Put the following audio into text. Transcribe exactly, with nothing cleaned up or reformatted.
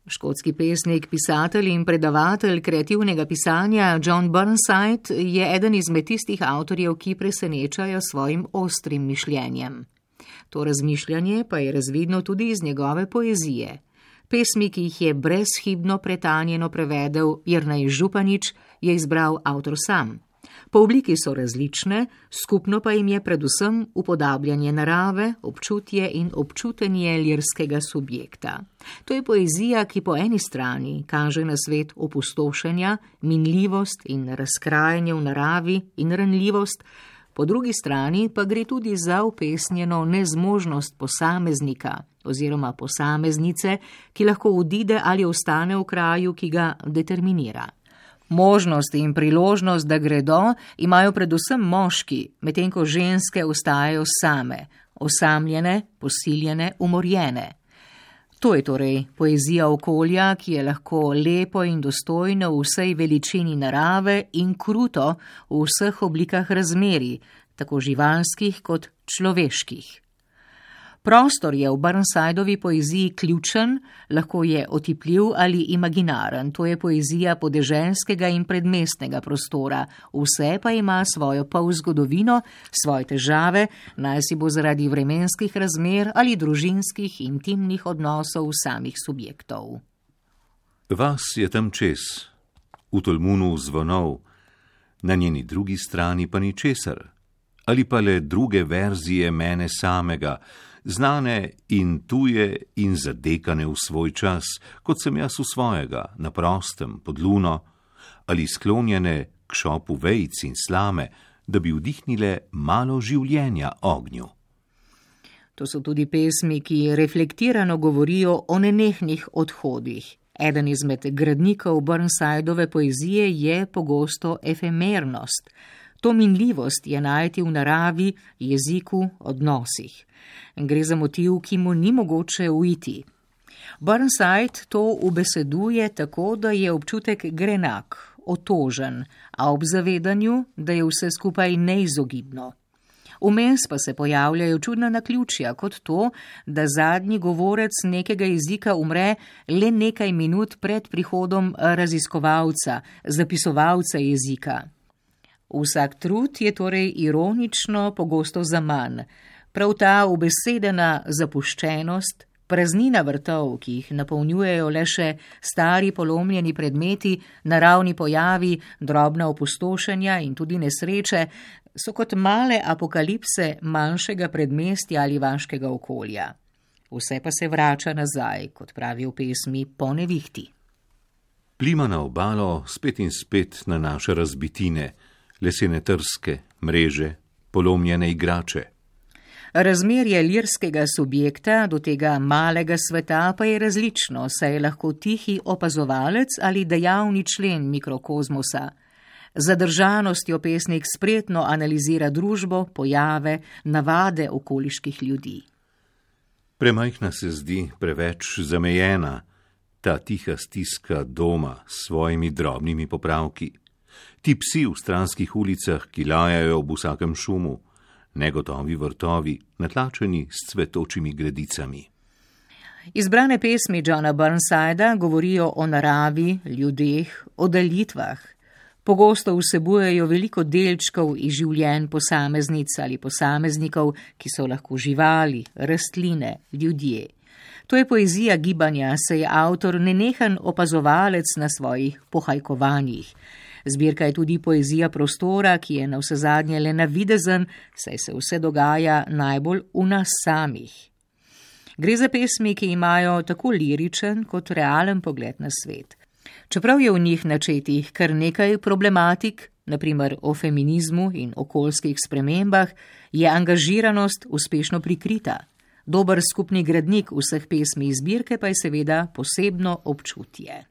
Škotski pesnik, pisatelj in predavatelj kreativnega pisanja John Burnside je eden izmed tistih avtorjev, ki presenečajo svojim ostrim mišljenjem. To razmišljanje pa je razvidno tudi iz njegove poezije. Pesmi, ki jih je brezhibno pretanjeno prevedel Jernej Županič, je izbral avtor sam. Po obliki so različne, skupno pa jim je predvsem upodabljanje narave, občutje in občutenje lirskega subjekta. To je poezija, ki po eni strani kaže na svet opustošenja, minljivost in razkrajanje v naravi in ranljivost, po drugi strani pa gre tudi za upesnjeno nezmožnost posameznika oziroma posameznice, ki lahko odide ali ostane v kraju, ki ga determinira. Možnost in priložnost, da gredo, imajo predvsem moški, medtem ko ženske ostajajo same, osamljene, posiljene, umorjene. To je torej poezija okolja, ki je lahko lepo in dostojno v vsej veličini narave in kruto v vseh oblikah razmerij, tako živalskih kot človeških. Prostor je v Burnsideovi poeziji ključen, lahko je otipljiv ali imaginaren, to je poezija podeželskega in predmestnega prostora, vse pa ima svojo polzgodovino, svoje težave, naj si bo zaradi vremenskih razmer ali družinskih intimnih odnosov samih subjektov. Vas je tam čez, v tolmunu zvonov, na njeni drugi strani pa ničesar, ali pa le druge verzije mene samega, znane in tuje in zadekane v svoj čas, kot sem jaz v svojega, na prostem, pod luno, ali sklonjene k šopu vejic in slame, da bi vdihnile malo življenja ognju. To so tudi pesmi, ki reflektirano govorijo o nenehnih odhodih. Eden izmed gradnikov Burnsideove poezije je pogosto efemernost. To minljivost je najti v naravi, jeziku, odnosih. Gre za motiv, ki mu ni mogoče uiti. Burnside to ubeseduje tako, da je občutek grenak, otožen, a ob zavedanju, da je vse skupaj neizogibno. Vmes pa se pojavljajo čudna naključja, kot to, da zadnji govorec nekega jezika umre le nekaj minut pred prihodom raziskovalca, zapisovalca jezika. Vsak trud je torej ironično pogosto zaman. Prav ta ubesedena zapuščenost, praznina vrtov, ki jih napolnjujejo le še stari polomljeni predmeti, naravni pojavi, drobna opustošenja in tudi nesreče, so kot male apokalipse manjšega predmestja ali vaškega okolja. Vse pa se vrača nazaj, kot pravi v pesmi, po nevihti. Plima na obalo spet in spet na naše razbitine, lesene trske, mreže, polomljene igrače. Razmerje lirskega subjekta do tega malega sveta pa je različno, saj je lahko tihi opazovalec ali dejavni člen mikrokozmosa. Zadržanostjo pesnik spretno analizira družbo, pojave, navade okoliških ljudi. Premajhna se zdi, preveč zamejena, ta tiha stiska doma s svojimi drobnimi popravki. Ti psi v stranskih ulicah, ki lajajo ob vsakem šumu, negotovi vrtovi, natlačeni s cvetočimi gredicami. Izbrane pesmi Johna Burnsida govorijo o naravi, ljudeh, o daljitvah. Pogosto vsebujejo veliko delčkov iz življenj posameznic ali posameznikov, ki so lahko živali, rastline, ljudje. To je poezija gibanja, saj je avtor nenehen opazovalec na svojih pohajkovanjih. Zbirka je tudi poezija prostora, ki je navsezadnje le navidezen, saj se vse dogaja najbolj v nas samih. Gre za pesmi, ki imajo tako liričen kot realen pogled na svet. Čeprav je v njih načetih kar nekaj problematik, na primer o feminizmu in okoljskih spremembah, je angažiranost uspešno prikrita. Dober skupni gradnik vseh pesmi iz zbirke pa je seveda posebno občutje.